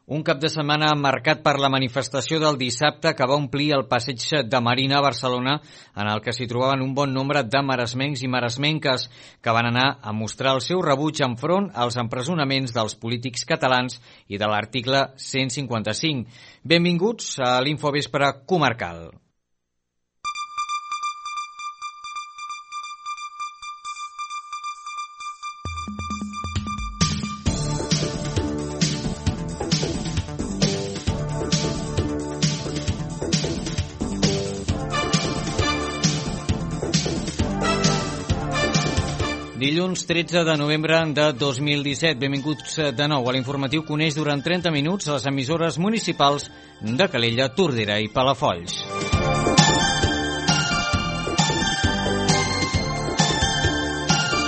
Un cap de setmana marcat per la manifestació del dissabte que va omplir el passeig de Marina a Barcelona, en el que s'hi trobaven un bon nombre de maresmencs i maresmenques que van anar a mostrar el seu rebuig enfront als empresonaments dels polítics catalans i de l'article 155. Benvinguts a l'Infovespre Comarcal. Dilluns 13 de novembre de 2017. Benvinguts de nou a l'informatiu que uneix durant 30 minuts les emissores municipals de Calella, Tordera i Palafolls.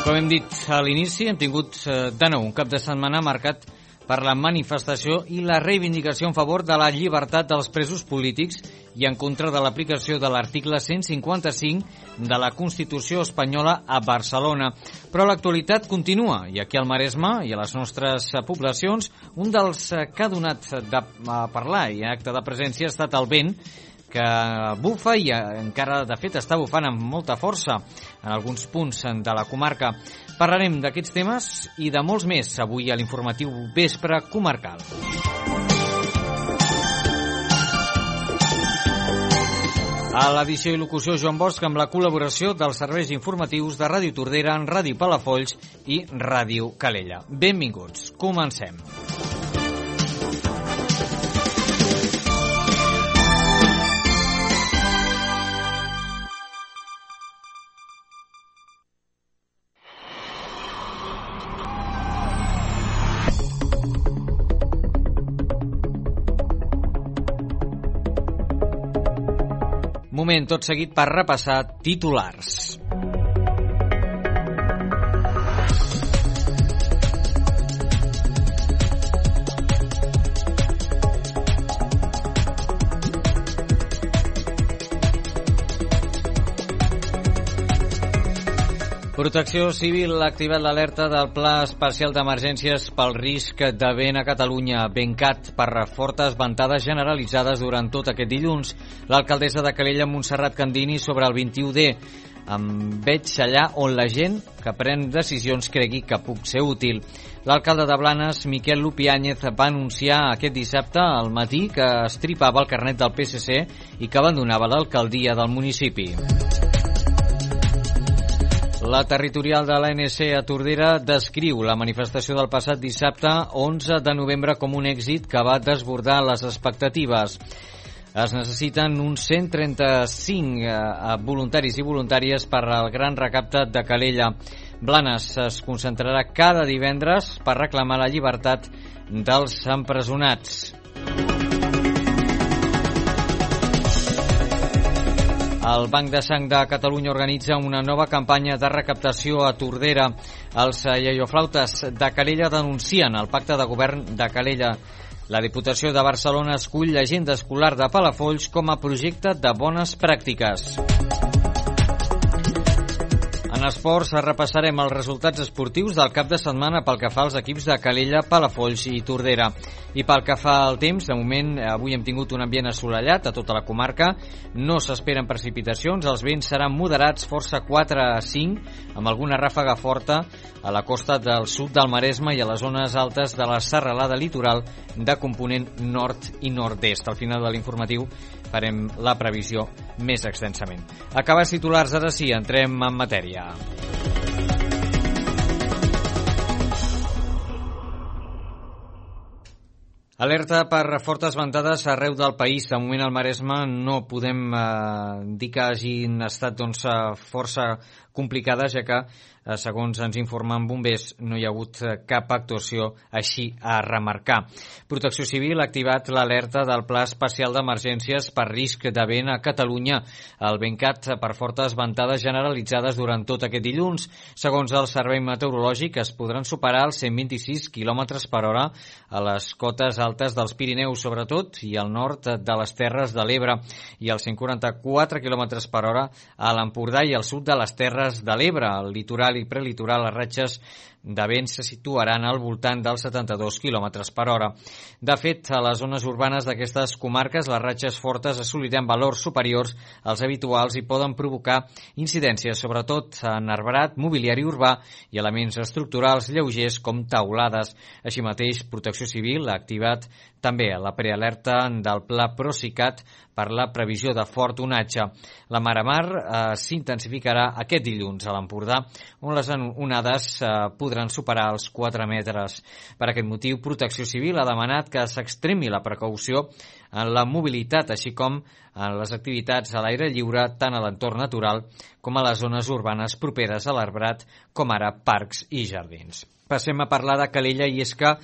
Com hem dit a l'inici, hem tingut de nou un cap de setmana marcat per la manifestació i la reivindicació en favor de la llibertat dels presos polítics i en contra de l'aplicació de l'article 155 de la Constitució espanyola a Barcelona. Però l'actualitat continua i aquí al Maresme i a les nostres poblacions un dels que ha donat de parlar i en acte de presència ha estat el vent que bufa i encara de fet està bufant amb molta força en alguns punts de la comarca. Parlarem d'aquests temes i de molts més avui a l'informatiu Vespre Comarcal. A l'edició i locució Joan Bosch amb la col·laboració dels serveis informatius de Ràdio Tordera, Ràdio Palafolls i Ràdio Calella. Benvinguts, comencem. Moment tot seguit per repassar titulars. Protecció Civil ha activat l'alerta del Pla Especial d'Emergències pel risc de vent a Catalunya. Ventcat per fortes ventades generalitzades durant tot aquest dilluns. L'alcaldessa de Calella, Montserrat Candini, sobre el 21D. Em veig allà on la gent que pren decisions cregui que puc ser útil. L'alcalde de Blanes, Miquel Lupiáñez, va anunciar aquest dissabte al matí que estripava el carnet del PSC i que abandonava l'alcaldia del municipi. La territorial de l'ANC a Tordera descriu la manifestació del passat dissabte 11 de novembre com un èxit que va desbordar les expectatives. Es necessiten uns 135 voluntaris i voluntàries per al gran recapte de Calella. Blanes es concentrarà cada divendres per reclamar la llibertat dels empresonats. El Banc de Sang de Catalunya organitza una nova campanya de recaptació a Tordera. Els iaioflautes de Calella denuncien el pacte de govern de Calella. La Diputació de Barcelona escull l'agenda escolar de Palafolls com a projecte de bones pràctiques. En esports repassarem els resultats esportius del cap de setmana pel que fa als equips de Calella, Palafolls i Tordera. I pel que fa al temps, de moment avui hem tingut un ambient assolellat a tota la comarca, no s'esperen precipitacions, els vents seran moderats, força 4 a 5, amb alguna ràfaga forta a la costa del sud del Maresme i a les zones altes de la serralada litoral de component nord i nord-est. Al final de l'informatiu farem la previsió més extensament. Acabats titulars, ara sí, entrem en matèria. Alerta per fortes ventades arreu del país. De moment al Maresme no podem dir que hagin estat força complicades, ja que, segons ens informen bombers, no hi ha hagut cap actuació així a remarcar. Protecció Civil ha activat l'alerta del Pla Especial d'Emergències per risc de vent a Catalunya. El ventcat per fortes ventades generalitzades durant tot aquest dilluns. Segons el Servei Meteorològic, es podran superar els 126 km per hora a les cotes altes dels Pirineus, sobretot, i al nord de les Terres de l'Ebre, i els 144 km per hora a l'Empordà i al sud de les Terres de l'Ebre, al litoral i prelitoral, les ratxes de vent se situaran al voltant dels 72 km per hora. De fet, a les zones urbanes d'aquestes comarques, les ratxes fortes assoliran valors superiors als habituals i poden provocar incidències, sobretot en arbrat, mobiliari urbà i elements estructurals lleugers com taulades. Així mateix, Protecció Civil ha activat també la prealerta del Pla Procicat per la previsió de fort onatge. La mar s'intensificarà aquest dilluns a l'Empordà, on les onades podran superar els 4 metres. Per aquest motiu, Protecció Civil ha demanat que s'extremi la precaució en la mobilitat, així com en les activitats a l'aire lliure, tant a l'entorn natural com a les zones urbanes properes a l'arbrat, com ara parcs i jardins. Passem a parlar de Calella, i és que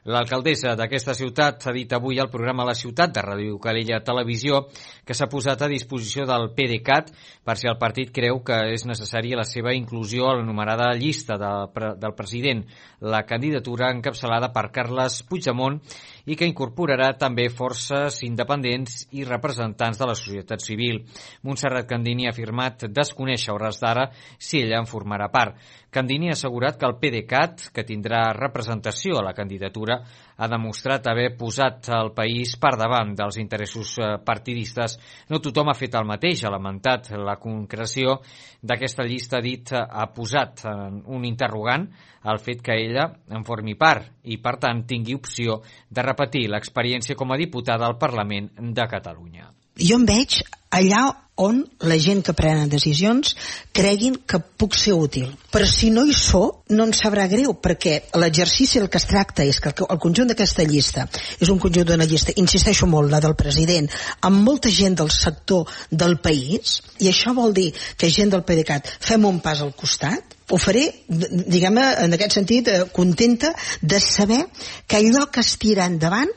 l'alcaldessa d'aquesta ciutat ha dit avui al programa La Ciutat de Ràdio Calella Televisió que s'ha posat a disposició del PDeCAT per si el partit creu que és necessària la seva inclusió a l'anomenada llista del president, la candidatura encapçalada per Carles Puigdemont i que incorporarà també forces independents i representants de la societat civil. Montserrat Candini ha afirmat desconèixer a hores d'ara si ella en formarà part. Candini ha assegurat que el PDeCAT, que tindrà representació a la candidatura, ha demostrat haver posat el país per davant dels interessos partidistes. No tothom ha fet el mateix, ha lamentat la concreció d'aquesta llista, dit ha posat un interrogant al fet que ella en formi part i, per tant, tingui opció de repetir l'experiència com a diputada al Parlament de Catalunya. Jo em veig allà on la gent que prenen decisions creguin que puc ser útil. Però si no hi sóc, no em sabrà greu, perquè l'exercici del que es tracta és que el conjunt d'aquesta llista és un conjunt d'una llista, insisteixo molt, la del president, amb molta gent del sector del país, i això vol dir que gent del PDeCAT fem un pas al costat. Ho faré, diguem-ne, en aquest sentit, contenta de saber que allò que es tira endavant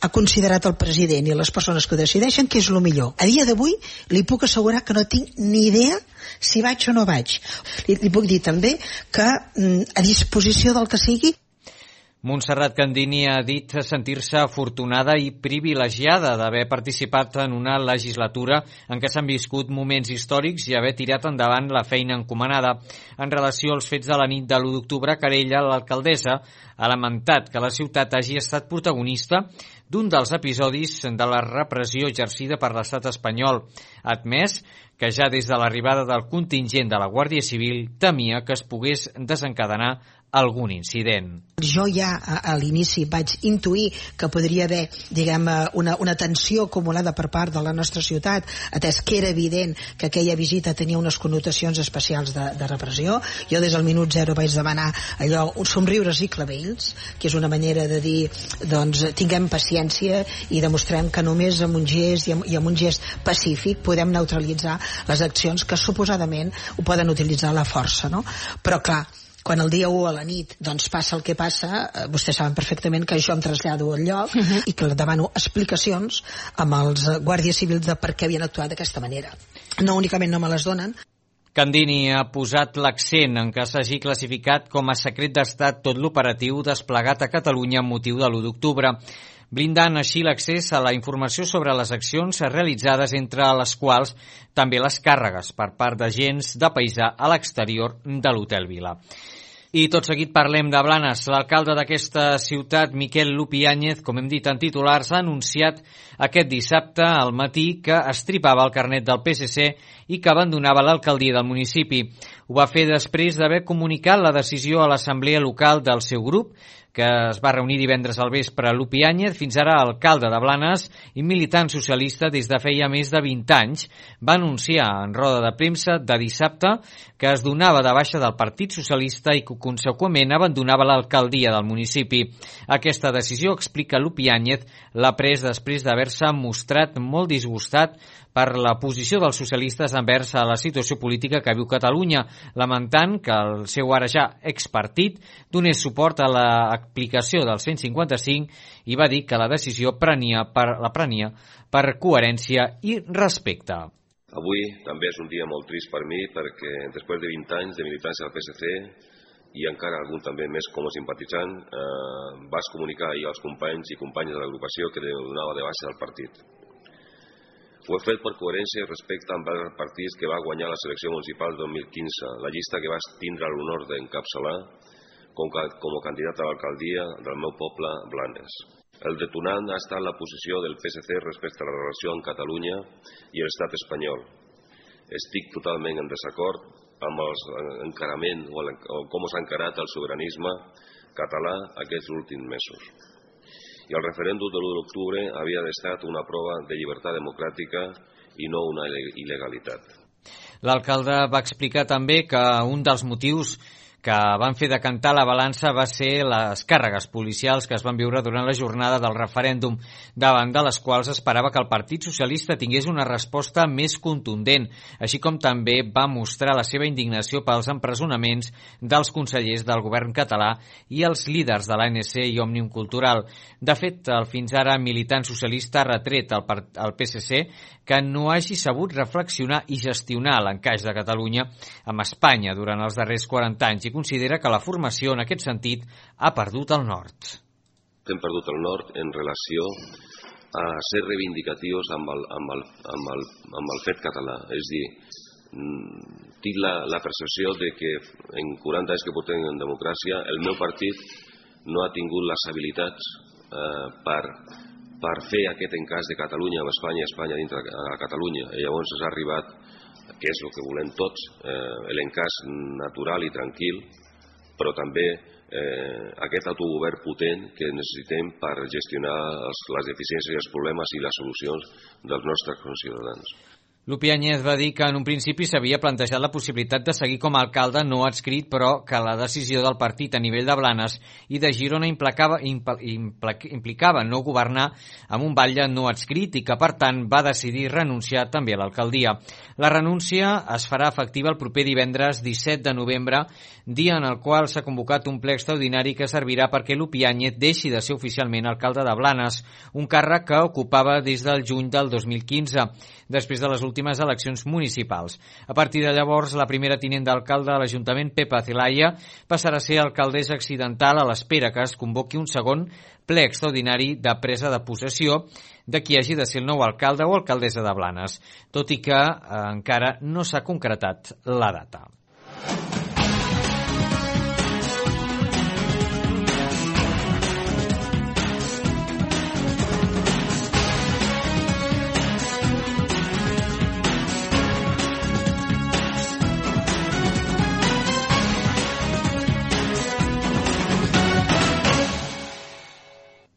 ha considerat el president i les persones que ho decideixen que és el millor. A dia d'avui li puc assegurar que no tinc ni idea si vaig o no vaig. Li puc dir també que a disposició del que sigui. Montserrat Candini ha dit sentir-se afortunada i privilegiada d'haver participat en una legislatura en què s'han viscut moments històrics i haver tirat endavant la feina encomanada. En relació als fets de la nit de l'1 d'octubre, Calella, l'alcaldessa, ha lamentat que la ciutat hagi estat protagonista d'un dels episodis de la repressió exercida per l'estat espanyol. Ha admès que ja des de l'arribada del contingent de la Guàrdia Civil temia que es pogués desencadenar algun incident. Jo ja a l'inici vaig intuir que podria haver, diguem, una tensió acumulada per part de la nostra ciutat, atès que era evident que aquella visita tenia unes connotacions especials de repressió. Jo des del minut zero vaig demanar allò, somriures i clavells, que és una manera de dir, doncs, tinguem paciència i demostrem que només amb un gest i amb un gest pacífic podem neutralitzar les accions que suposadament ho poden utilitzar la força, no? Però clar, quan el dia 1 a la nit doncs passa el que passa, vostès saben perfectament que jo em trasllado al lloc i que demano explicacions amb els guàrdies civils de per què havien actuat d'aquesta manera. No únicament no me les donen. Candini ha posat l'accent en que s'hagi classificat com a secret d'estat tot l'operatiu desplegat a Catalunya amb motiu de l'1 d'octubre, blindant així l'accés a la informació sobre les accions realitzades, entre les quals també les càrregues per part d'agents de paisà a l'exterior de l'Hotel Vila. I tot seguit parlem de Blanes. L'alcalde d'aquesta ciutat, Miquel Lupiáñez, com hem dit en titulars, ha anunciat aquest dissabte al matí que estripava el carnet del PSC i que abandonava l'alcaldia del municipi. Ho va fer després d'haver comunicat la decisió a l'assemblea local del seu grup, que es va reunir divendres al vespre. Lupiáñez, fins ara alcalde de Blanes i militant socialista des de feia més de 20 anys, va anunciar en roda de premsa de dissabte que es donava de baixa del Partit Socialista i que conseqüentment abandonava l'alcaldia del municipi. Aquesta decisió, explica Lupiáñez, l'ha pres després d'haver-se mostrat molt disgustat per la posició dels socialistes envers a la situació política que viu Catalunya, lamentant que el seu ara ja expartit donés suport a l'aplicació del 155 i va dir que la decisió la prenia per coherència i respecte. Avui també és un dia molt trist per mi perquè després de 20 anys de militància al PSC i encara algun també més com a simpatitzant, vas comunicar ahir als companys i companyes de l'agrupació que donava de baixa del partit. Ho he fet per coherència i respecte amb el partit que va guanyar la selecció municipal 2015, la llista que vas tindre l'honor d'encapçalar, com a candidat a l'alcaldia del meu poble, Blanes. El detonant ha estat la posició del PSC respecte a la relació amb Catalunya i l'estat espanyol. Estic totalment en desacord amb l'encarament o com s'ha encarat el sobiranisme català aquests últims mesos. I el referèndum de l'1 d'octubre havia d'estar una prova de llibertat democràtica i no una il·legalitat. L'alcalde va explicar també que un dels motius que van fer decantar la balança va ser les càrregues policials que es van viure durant la jornada del referèndum, davant de les quals esperava que el Partit Socialista tingués una resposta més contundent, així com també va mostrar la seva indignació pels empresonaments dels consellers del govern català i els líders de l'ANC i Òmnium Cultural. De fet, el fins ara militant socialista ha retret al PSC que no hagi sabut reflexionar i gestionar l'encaix de Catalunya amb Espanya durant els darrers 40 anys i considera que la formació, en aquest sentit, ha perdut el nord. Hem perdut el nord en relació a ser reivindicatius amb el fet català. És dir, tinc la percepció de que en 40 anys que portem en democràcia el meu partit no ha tingut les habilitats per fer aquest encaix de Catalunya amb Espanya i Espanya dintre de Catalunya. I llavors s'ha arribat, que és el que volem tots, l'encaix natural i tranquil, però també aquest autogovern potent que necessitem per gestionar les deficiències i els problemes i les solucions dels nostres conciutadans. Lupi Áñez va dir que en un principi s'havia plantejat la possibilitat de seguir com a alcalde no adscrit, però que la decisió del partit a nivell de Blanes i de Girona implicava no governar amb un batlle no adscrit i que, per tant, va decidir renunciar també a l'alcaldia. La renúncia es farà efectiva el proper divendres 17 de novembre, dia en el qual s'ha convocat un ple extraordinari que servirà perquè Lupi Áñez deixi de ser oficialment alcalde de Blanes, un càrrec que ocupava des del juny del 2015, després de les últimes eleccions municipals. A partir de llavors, la primera tinent d'alcalde de l'Ajuntament, Pepa Zelaya, passarà a ser alcaldessa accidental a l'espera que es convoqui un segon ple extraordinari de presa de possessió de qui hagi de ser el nou alcalde o alcaldessa de Blanes, tot i que encara no s'ha concretat la data.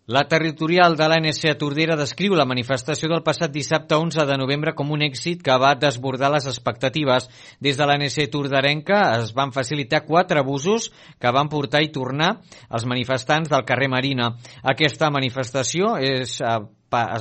La territorial de l'ANC a Tordera descriu la manifestació del passat dissabte 11 de novembre com un èxit que va desbordar les expectatives. Des de l'ANC torderenca es van facilitar 4 busos que van portar i tornar els manifestants del carrer Marina. Aquesta manifestació es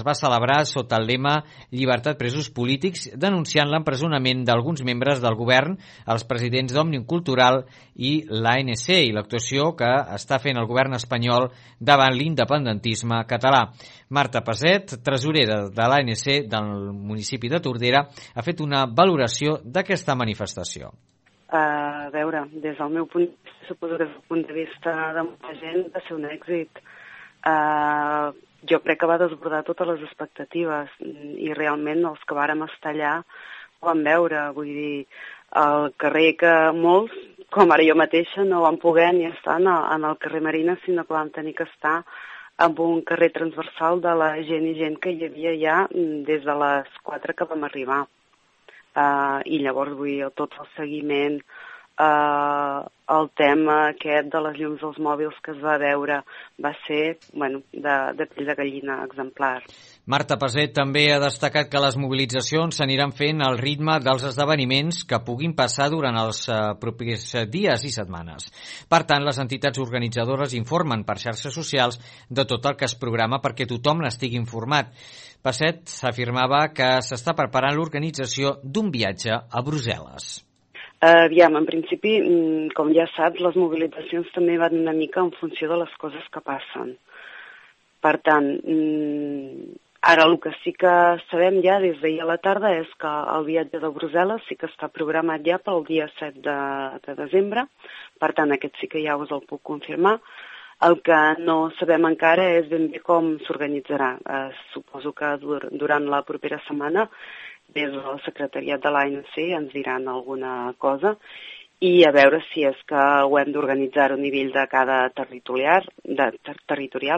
va celebrar sota el lema Llibertat presos polítics, denunciant l'empresonament d'alguns membres del govern, els presidents d'Òmnium Cultural i l'ANC, i l'actuació que està fent el govern espanyol davant l'independentisme català. Marta Paset, tresorera de l'ANC del municipi de Tordera, ha fet una valoració d'aquesta manifestació. A veure, des del meu punt de vista, suposo que des del punt de vista de molta gent va ser un èxit. Jo crec que va desbordar totes les expectatives i realment els que vàrem estar allà ho vam veure. Vull dir, al carrer que molts, com ara jo mateixa, no vam poder ni estar en el carrer Marina, sinó que vam tenir que estar en un carrer transversal de la gent i gent que hi havia ja des de les 4 que vam arribar. I llavors, vull dir, tot el seguiment, el tema aquest de les llums dels mòbils que es va veure va ser, bueno, de pell de gallina exemplar. Marta Paset també ha destacat que les mobilitzacions s'aniran fent al ritme dels esdeveniments que puguin passar durant els propers dies i setmanes. Per tant, les entitats organitzadores informen per xarxes socials de tot el que es programa perquè tothom n'estigui informat. Paset afirmava que s'està preparant l'organització d'un viatge a Brussel·les. Aviam, en principi, com ja saps, les mobilitzacions també van una mica en funció de les coses que passen. Per tant, ara el que sí que sabem ja des d'ahir a la tarda és que el viatge de Brussel·les sí que està programat ja pel dia 7 de desembre, per tant aquest sí que ja us el puc confirmar. El que no sabem encara és ben bé com s'organitzarà. Suposo que durant la propera setmana des del secretariat de l'ANC ens diran alguna cosa i a veure si és que ho hem d'organitzar a nivell de cada territorial,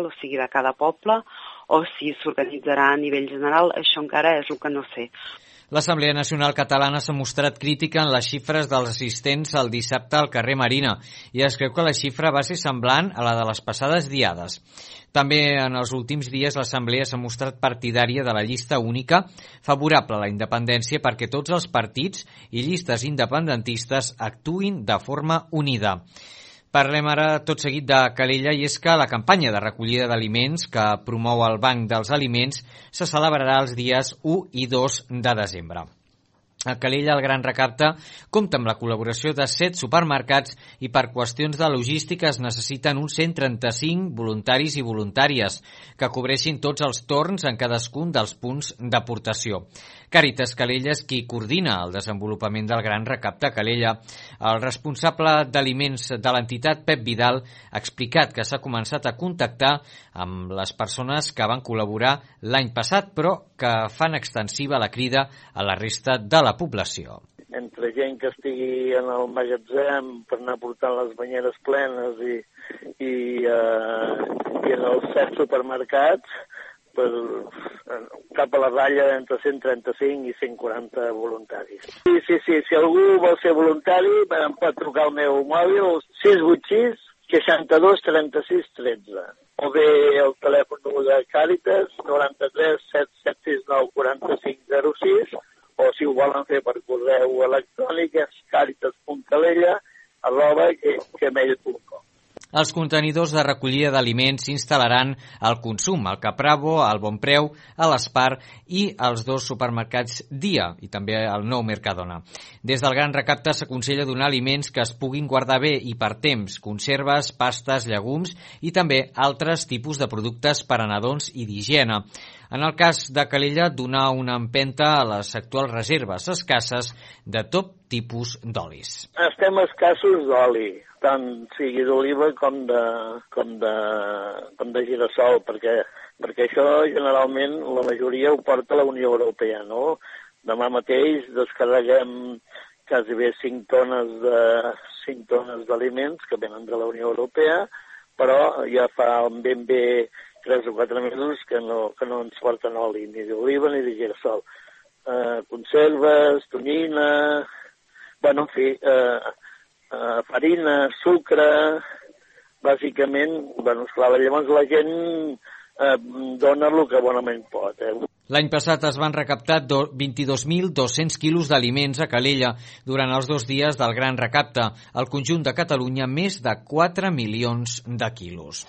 o sigui, de cada poble, o si s'organitzarà a nivell general, això encara és el que no sé. L'Assemblea Nacional Catalana s'ha mostrat crítica en les xifres dels assistents el dissabte al carrer Marina i es creu que la xifra va ser semblant a la de les passades diades. També en els últims dies l'Assemblea s'ha mostrat partidària de la llista única favorable a la independència perquè tots els partits i llistes independentistes actuïn de forma unida. Parlem ara tot seguit de Calella i és que la campanya de recollida d'aliments que promou el Banc dels Aliments se celebrarà els dies 1 i 2 de desembre. A Calella el Gran Recapte compta amb la col·laboració de 7 supermercats i per qüestions de logística es necessiten uns 135 voluntaris i voluntàries que cobreixin tots els torns en cadascun dels punts d'aportació. Càritas Calella és qui coordina el desenvolupament del Gran Recapte a Calella. El responsable d'aliments de l'entitat, Pep Vidal, ha explicat que s'ha començat a contactar amb les persones que van col·laborar l'any passat, però que fan extensiva la crida a la resta de la població. Entre gent que estigui en el magatzem per anar portant les banyeres plenes i en els 7 supermercats, cap a la ratlla d'entre 135 i 140 voluntaris. Sí, si algú vol ser voluntari em pot trucar al meu mòbil 686 62 36 13 o bé el telèfon de Càritas 93 769 45 06 o si ho volen fer per correu electrònic és caritas.calella@gmail.com. Els contenidors de recollida d'aliments s'instal·laran al Consum, al Capravo, al Bonpreu, a l'Espar i als 2 supermercats Dia i també al Nou Mercadona. Des del Gran Recapte s'aconsella donar aliments que es puguin guardar bé i per temps, conserves, pastes, llegums i també altres tipus de productes per a nadons i d'higiene. En el cas de Calella, donar una empenta a les actuals reserves escasses de tot tipus d'olis. Estem escassos d'oli, tant sigui d'oliva com de girassol, perquè això generalment la majoria ho porta la Unió Europea, no? Demà mateix descarreguem quasi bé 5 tones d'aliments que venen de la Unió Europea, però ja fa ben bé 3 o 4 mesos que no ens porten oli, ni d'oliva ni de girassol. Conserves, tonyina, en fi, farina, sucre, bàsicament, esclar, llavors la gent dona el que bonament pot. L'any passat es van recaptar 22.200 quilos d'aliments a Calella durant els 2 dies del Gran Recapte. Al conjunt de Catalunya, més de 4 milions de quilos.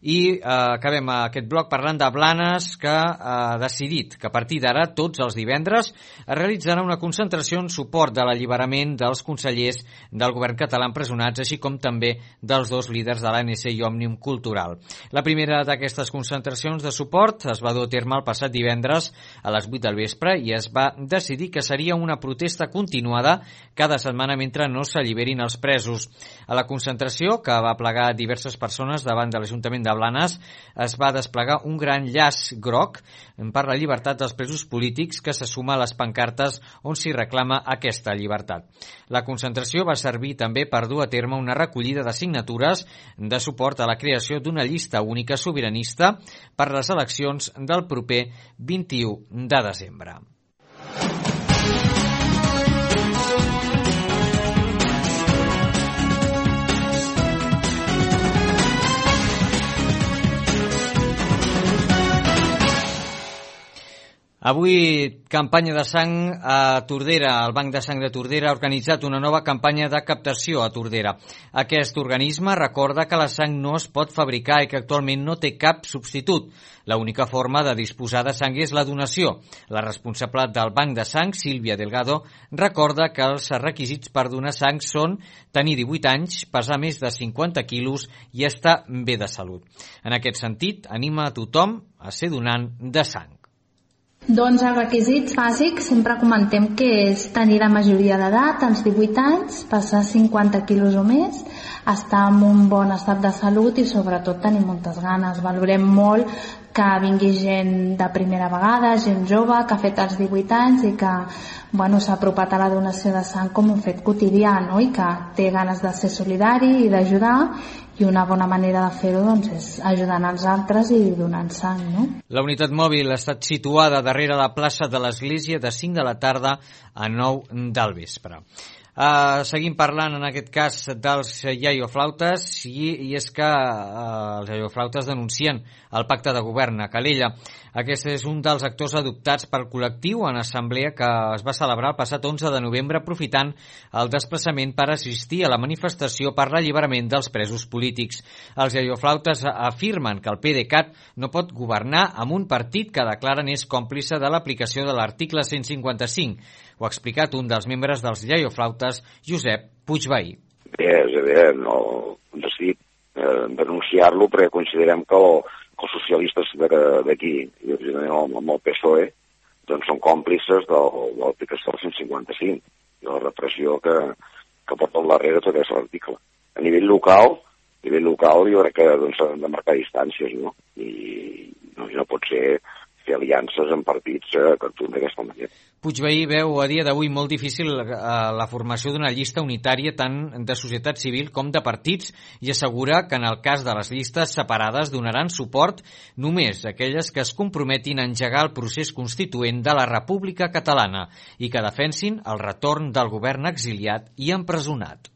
I acabem aquest bloc parlant de Blanes, que ha decidit que a partir d'ara, tots els divendres, es realitzarà una concentració en suport de l'alliberament dels consellers del govern català empresonats, així com també dels 2 líders de l'ANC i Òmnium Cultural. La primera d'aquestes concentracions de suport es va dur a terme el passat divendres a les 8 del vespre i es va decidir que seria una protesta continuada cada setmana mentre no s'alliberin els presos. A la concentració, que va plegar diverses persones davant de l'Ajuntament de Blanes, es va desplegar un gran llaç groc per la llibertat dels presos polítics que se suma a les pancartes on s'hi reclama aquesta llibertat. La concentració va servir també per dur a terme una recollida de signatures de suport a la creació d'una llista única sobiranista per les eleccions del proper 21 de desembre. Avui, campanya de sang a Tordera. El Banc de Sang de Tordera ha organitzat una nova campanya de captació a Tordera. Aquest organisme recorda que la sang no es pot fabricar i que actualment no té cap substitut. L'única forma de disposar de sang és la donació. La responsable del Banc de Sang, Sílvia Delgado, recorda que els requisits per donar sang són tenir 18 anys, pesar més de 50 quilos i estar bé de salut. En aquest sentit, anima a tothom a ser donant de sang. Doncs els requisits bàsics sempre comentem que és tenir la majoria d'edat, als 18 anys, pesar 50 quilos o més, estar en un bon estat de salut i sobretot tenir moltes ganes. Valorem molt que vingui gent de primera vegada, gent jove, que ha fet els 18 anys i que s'ha apropat a la donació de sang com un fet quotidià, no? I que té ganes de ser solidari i d'ajudar, i una bona manera de fer-ho és ajudant els altres i donant sang, no? La unitat mòbil ha estat situada darrere la plaça de l'Església de 5 de la tarda a 9 del vespre. Seguim parlant en aquest cas dels iaioflautes i és que els iaioflautes denuncien el pacte de govern a Calella. Aquest és un dels actors adoptats pel col·lectiu en assemblea que es va celebrar el passat 11 de novembre aprofitant el desplaçament per assistir a la manifestació per l'alliberament dels presos polítics. Els iaioflautes afirmen que el PDeCAT no pot governar amb un partit que declaren és còmplice de l'aplicació de l'article 155. Ho ha explicat un dels membres dels iaioflautes, Josep Puigvehí. Bé, no decidit denunciar-lo perquè considerem que els socialistes d'aquí, i amb el PSOE, doncs són còmplices de l'aplicació del 155 i la repressió que porta al darrere tot aquest article. A nivell local jo crec que s'han de marcar distàncies, no? I no pot ser fer aliances amb partits que actuen d'aquesta manera. Puigvehí veu a dia d'avui molt difícil la formació d'una llista unitària tant de societat civil com de partits i assegura que en el cas de les llistes separades donaran suport només a aquelles que es comprometin a engegar el procés constituent de la República Catalana i que defensin el retorn del govern exiliat i empresonat.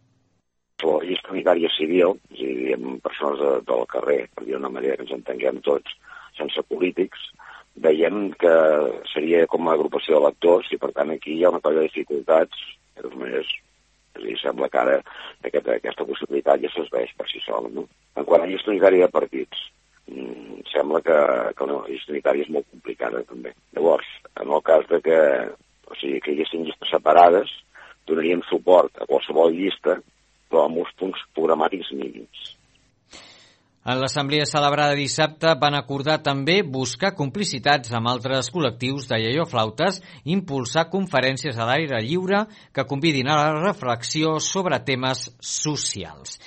La llista unitària civil, és a dir, amb persones del carrer, per dir una manera que ens entenguem tots, sense polítics, veiem que seria com una agrupació d'electors i per tant aquí hi ha una colla de dificultats, de totes maneres, sembla que ara aquesta possibilitat ja s'esveix per si sola, no? En quant a llista unitària de partits, sembla que la llista unitària és molt complicada també. Llavors, en el cas de que hi haguessin llistes separades, donaríem suport a qualsevol llista, però amb uns punts programàtics mínims. En l'assemblea celebrada dissabte van acordar també buscar complicitats amb altres col·lectius de iaioflautes i impulsar conferències a l'aire lliure que convidin a la reflexió sobre temes socials.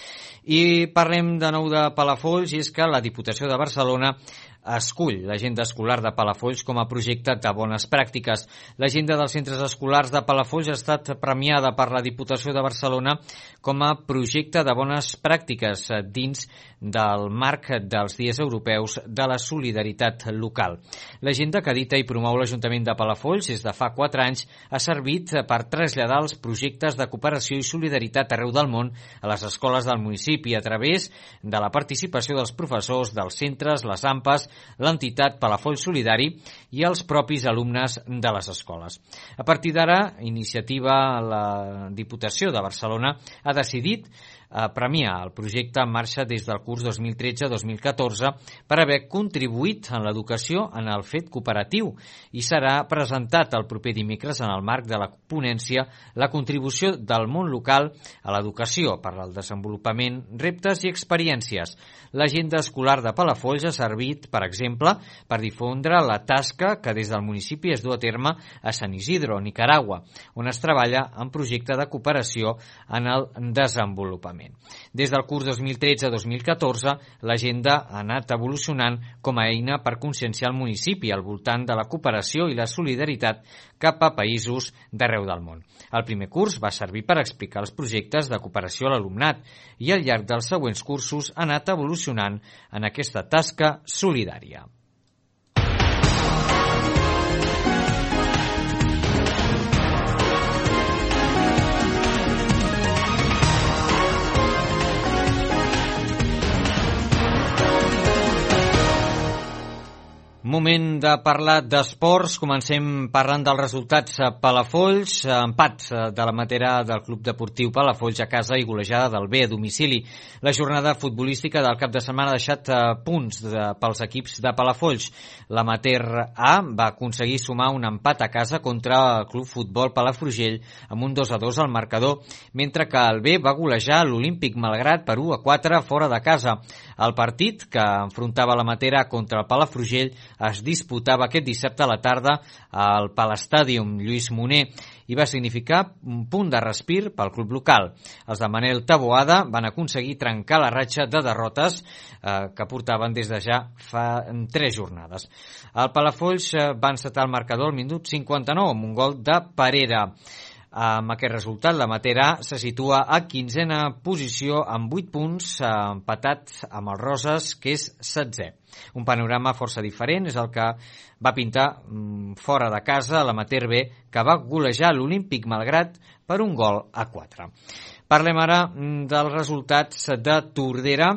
I parlem de nou de Palafolls, i és que la Diputació de Barcelona escull l'agenda escolar de Palafolls com a projecte de bones pràctiques. L'agenda dels centres escolars de Palafolls ha estat premiada per la Diputació de Barcelona com a projecte de bones pràctiques dins del marc dels Dies Europeus de la Solidaritat Local. L'agenda que edita i promou l'Ajuntament de Palafolls des de fa 4 anys ha servit per traslladar els projectes de cooperació i solidaritat arreu del món a les escoles del municipi a través de la participació dels professors dels centres, les AMPAs, l'entitat Palafolls Solidari i els propis alumnes de les escoles. A partir d'ara, la Diputació de Barcelona ha decidit premiar el projecte en marxa des del curs 2013-2014 per haver contribuït en l'educació en el fet cooperatiu i serà presentat el proper dimecres en el marc de la ponència la contribució del món local a l'educació per al desenvolupament, reptes i experiències. L'agenda escolar de Palafolls ha servit, per exemple, per difondre la tasca que des del municipi es du a terme a San Isidro, Nicaragua, on es treballa en projecte de cooperació en el desenvolupament. Des del curs 2013-2014, l'agenda ha anat evolucionant com a eina per conscienciar el municipi al voltant de la cooperació i la solidaritat cap a països d'arreu del món. El primer curs va servir per explicar els projectes de cooperació a l'alumnat i al llarg dels següents cursos ha anat evolucionant en aquesta tasca solidària. Moment de parlar d'esports. Comencem parlant dels resultats a Palafolls. Empat de la Matera del Club Deportiu Palafolls a casa i golejada del B a domicili. La jornada futbolística del cap de setmana ha deixat punts pels equips de Palafolls. La Mater A va aconseguir sumar un empat a casa contra el Club Futbol Palafrugell amb un 2-2 al marcador, mentre que el B va golejar l'Olímpic Malgrat per 1-4 fora de casa. El partit que enfrontava la Matera contra el Palafrugell es disputava aquest dissabte a la tarda al Palestàdium Lluís Moner i va significar un punt de respir pel club local. Els de Manel Taboada van aconseguir trencar la ratxa de derrotes que portaven des de ja fa 3 jornades. El Palafolls va encetar el marcador al minut 59 amb un gol de Parera. Amb aquest resultat, la Matera se situa a 15a posició amb 8 punts, empatat amb el Roses, que és 16è. Un panorama força diferent és el que va pintar fora de casa l'Amater B, que va golejar l'Olímpic Malgrat per 1-4. Parlem ara dels resultats de Tordera.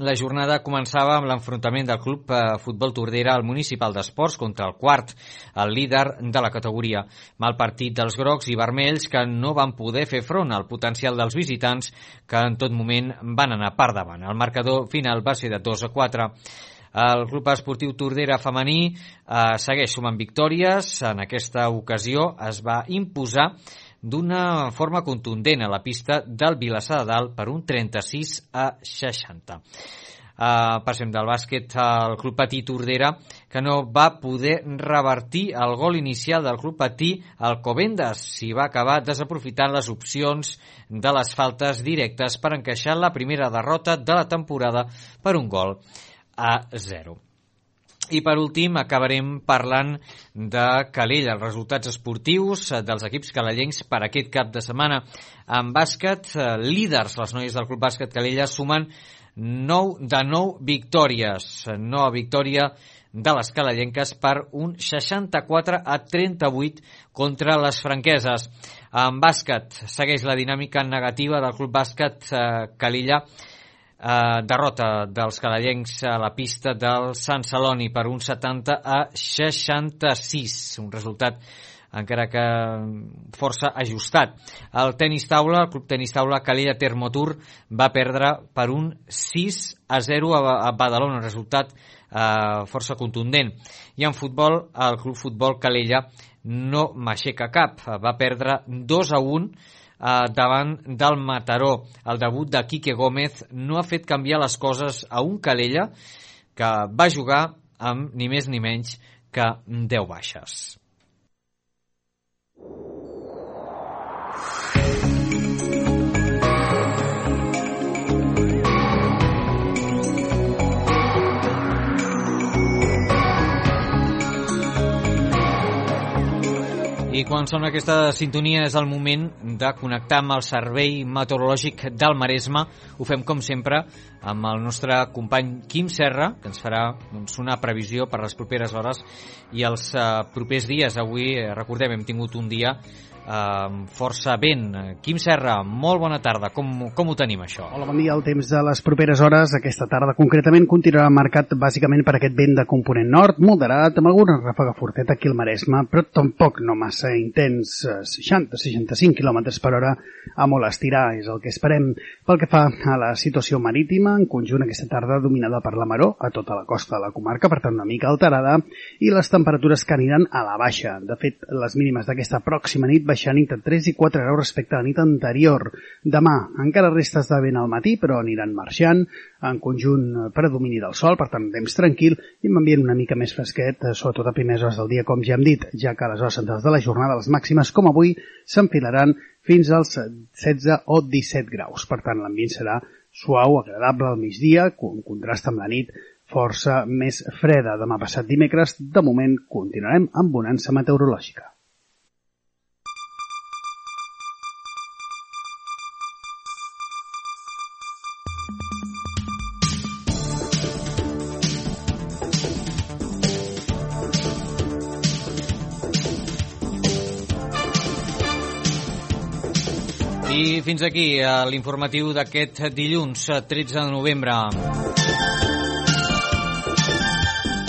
La jornada començava amb l'enfrontament del Club Futbol Tordera al Municipal d'Esports contra el quart, el líder de la categoria. Mal partit dels grocs i vermells que no van poder fer front al potencial dels visitants que en tot moment van anar per davant. El marcador final va ser de 2-4. El Club Esportiu Tordera femení segueix sumant victòries. En aquesta ocasió es va imposar d'una forma contundent a la pista del Vilassar de Dalt per un 36-60. Passem del bàsquet al Club Patí Tordera, que no va poder revertir el gol inicial del Club Patí Alcobendas. S'hi va acabar desaprofitant les opcions de les faltes directes per encaixar la primera derrota de la temporada per 1-0. I per últim acabarem parlant de Calella, els resultats esportius dels equips calellencs per aquest cap de setmana. En bàsquet, líders, les noies del Club Bàsquet Calella sumen 9 de 9 victòries. Nova victòria de les calellenques per un 64-38 contra les franqueses. En bàsquet segueix la dinàmica negativa del Club Bàsquet Calella. Derrota dels calellencs a la pista del Sant Celoni per un 70-66, un resultat encara que força ajustat. El tenis taula, el Club Tenis Taula Calella Termotur va perdre per un 6-0 a Badalona, un resultat força contundent. I en futbol, el Club Futbol Calella no m'aixeca cap, va perdre 2-1 davant del Mataró. El debut de Quique Gómez no ha fet canviar les coses a un Calella que va jugar amb ni més ni menys que 10 baixes. I quan sona aquesta sintonia és el moment de connectar amb el Servei Meteorològic del Maresme. Ho fem, com sempre, amb el nostre company Quim Serra, que ens farà una previsió per les properes hores i els propers dies. Avui, recordem, hem tingut un dia força vent. Quim Serra, molt bona tarda. Com ho tenim, això? Hola, bon dia. El temps de les properes hores, aquesta tarda concretament, continuarà marcat bàsicament per aquest vent de component nord, moderat, amb alguna ràfega forteta aquí al Maresme, però tampoc no massa intens, 60-65 km per hora a molt estirar, és el que esperem. Pel que fa a la situació marítima, en conjunt aquesta tarda dominada per la maró a tota la costa de la comarca, per tant una mica alterada, i les temperatures que aniran a la baixa. De fet, les mínimes d'aquesta pròxima nit baixant entre 3 i 4 graus respecte a la nit anterior. Demà encara restes de vent al matí, però aniran marxant, en conjunt predomini del sol, per tant temps tranquil i amb ambient una mica més fresquet, sobretot a primeres hores del dia, com ja hem dit, ja que a les hores centrals de la jornada les màximes, com avui, s'enfilaran fins als 16 o 17 graus. Per tant, l'ambient serà suau, agradable al migdia, en contrast amb la nit força més freda. Demà passat dimecres, de moment, continuarem amb bonança meteorològica. I fins aquí l'informatiu d'aquest dilluns 13 de novembre.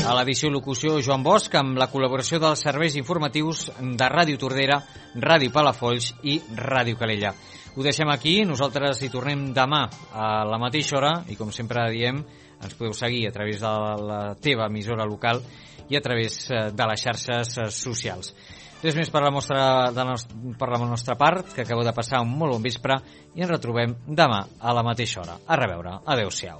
A l'edició i locució Joan Bosch, amb la col·laboració dels serveis informatius de Ràdio Tordera, Ràdio Palafolls i Ràdio Calella. Ho deixem aquí, nosaltres hi tornem demà a la mateixa hora i com sempre diem, ens podeu seguir a través de la teva emissora local i a través de les xarxes socials. Res més per la nostra part, que acabeu de passar un molt bon vespre i ens retrobem demà a la mateixa hora. A reveure. Adéu-siau.